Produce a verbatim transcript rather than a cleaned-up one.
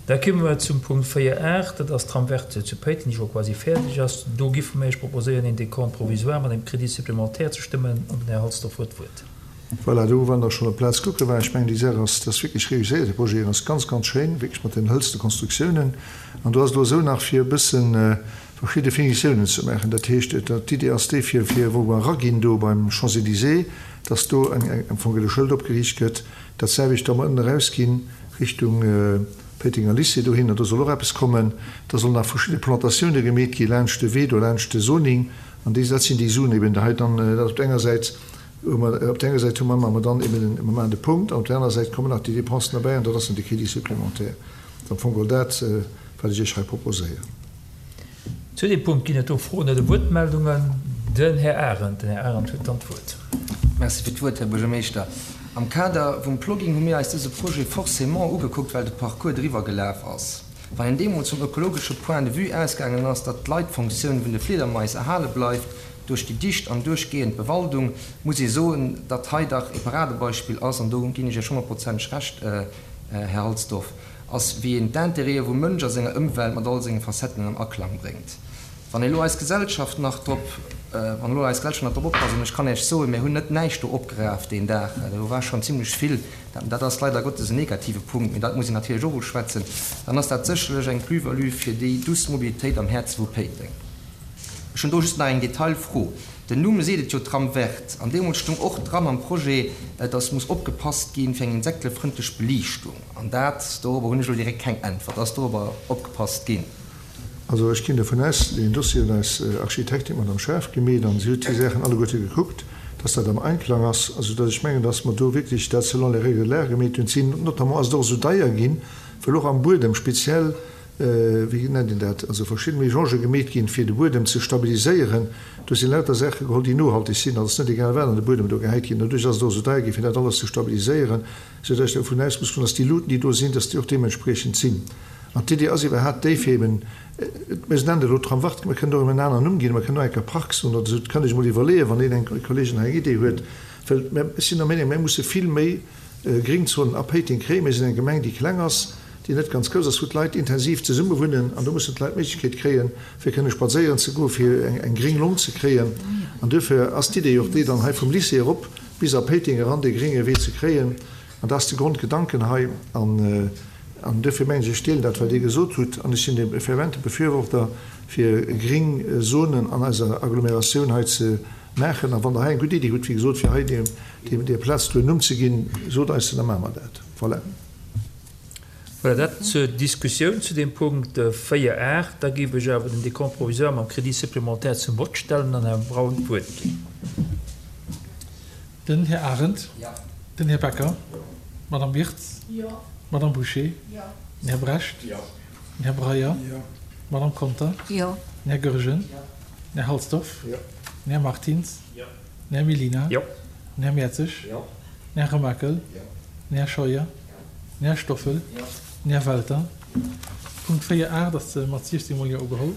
Da komme mer zum Punkt véier aacht, dat ass d'Trame verte zu Péiteng, déi scho quasi fäerdeg ass. Do giffe mir Iech proposéieren, een Décompte provisoire mat engem Crédit supplémentaire ze stëmmen. An den Här Halsdorf huet d'Wuert. Voilà, do wann Der schonn op d'Plaz kucke waart, ech mengen, déi Saach ass, dat ass wierklech réusséiert, de Projet ass ganz, ganz schéin, wierklech mat den hëlzene Konstruktiounen. An do ass et elo esou nach, fir e bëssen verschidde Finitiounen ze maachen. Dat heescht, d'Idee ass déi, fir, fir wou mer eraginn do beim Champs-Élysées, dass do eng, eng, am Fong e Schëld opgeriicht gëtt, dat selwecht da mer ënnen erausginn Richtung Péitenger Lycée dohinner, do soll och eppes kommen. Da sollen nach verschidde Plantatioune gemeet gi laanscht de Wee do, laanscht de Zoning. An déi, dat sinn déi Suen eben hei dann, dat op der enger Säit hu mer, op der enger Säit hu mer, mer dann eben den, mer maachen de Punkt, an op der anerer Säit kommen nach déi Dépensen derbäi an dat ass dann de Crédit supplémentaire. Dat ass am Fong geholl dat, wat ech Iech hei proposéieren. Zu deem Punkt ginn et do Froen oder Wuertmeldungen. Den Här Arendt, den Här Arendt huet dann d'Wuert. Merci fir d'Wuert, Här Buergermeeschter. Am Kader vum Plogging hu mir eis dëse Projet forcément ugekuckt, well de Parcours driwwer gelaf ass. Wann een deemools vum ökologesche Point de vue ausgaangen ass, datt d'Leitfunktioun vun de Fliedermais erhale bleift duerch déi dicht an duerchgehend Bewaldung, muss ee soen, datt hei dach e Paradebeispill ass, an do ginn ech Iech honnertprozenteg Recht, Här Halsdorf, ass, wéi een d'Intérêtë vum Mënsch a senger Ëmwelt mat all senge Facetten an Aklang bréngt. Wann elo eis Gesellschaft nach drop, wann elo eis Gesellschaft nach drop oppasst, an ech kann Iech soen, mir hunn net näischt do opgeraf deen Dag, do war schonn zimlech vill, dat ass leider Gottes en negative Punkt, mee dat muss een natierlech och uschwätzen, dann ass dat sécherlech eng Plus-value fir déi douce Mobilitéit am Häerze vu Péiteng. Ech hunn do just nach eng Detailfro. Den Numm seet et jo, Tram verte. An deemools stung och dran am Projet, dass muss opgepasst ginn fir eng insektelefrëndlech Beliichtung. An dat, dorobber hunn ech elo direkt keng Äntwert. Ass dorobber opgepasst ginn? Also ech ginn dovun aus, deen Dossier huet eis Architektin, d'Madame Schaaf, gemeet an si huet déi Saachen alleguerte gekuckt, dass dat am Einklang ass. Also dass ech mengen, dass mer do wierklech dat selon les règles de l'art gemeet hunn. Si notamment ass et och esou deier ginn, well och am Buedem speziell, wéi nennt een dat, also verschidde Mélange gemeet ginn, fir de Buedem ze stabiliséieren. Do sinn lauter Saache geholl, déi nohalteg sinn. Also et ass net egal wat an de Buedem do gehäit ginn. Doduerch ass et och esou deier ginn, fir dat alles ze stabiliséieren, soudass ech dovun aus muss goen, dass déi Luuten, déi do sinn, dass déi och deementspriechend sinn. An d'Idee ass iwwerhaapt déi, fir eben, mir nennen et elo Tram vert, mir kënnen och eben en aneren Numm ginn, mir kënnen och eng Kéier Park soen oder esou, dat kann ech emol iwwerleeën, wann een eng Kolleegen hei eng Idee huet, well mir, ech sinn der Meenung, mir musse vill méi Gringzonen a Péiteng kréien. Mir sinn eng Gemeng, déi kleng ass, déi net ganz grouss ass, wou d'Leit intensiv zesumme wunnen, an do mussen d'Leit d'Méiglechkeet kréien, fir kënne spadséieren ze goen, fir eng, eng gréng Long ze kréien. An duerfir ass d'Idee och déi, dann hei vum Lycée erop bis a Péiteng eran dee grénge Wee ze kréien. An dat ass de Grondgedanken hei. An, an duerfir mengen ech, ech deelen dat, wat Dir gesot hutt, an ech sinn e fervente Befürworter, fir gréng Zonen an eiser Agglomeratioun hei ze maachen. A wann Der hei eng gutt Iddi hutt, wéi gesot, fir hei deem, deem, där Plaz do en Numm ze ginn, sot eis se, da maache mer dat. Voilà. Voilà, dat zur Diskussioun zu deem Punkt véier aacht. Da géif ech awer den Décompte provisoire mam Crédit supplémentaire zum Vott stellen an Herrn Braun d'Wuert ginn. Den Här Arendt. Jo. Den Här Becker. Jo. D'Madame Wirtz. Jo. D'Madame Bouché. Jo. Den Här Brecht. Jo. Den Här Breyer. Jo. D'Madame Conter. Jo. Den Här Goergen. Jo. Den Här Halsdorf. Jo. Den Här Martins. Jo. Den Här Mellina. Jo. Den Här Mertzig. Jo. Den Här Remakel. Jo. Den Här Scheuer. Den Här Stoffel. Jo. Den Här Welter. Punkt véier aacht ass mat siechzéng mol Jo ugeholl.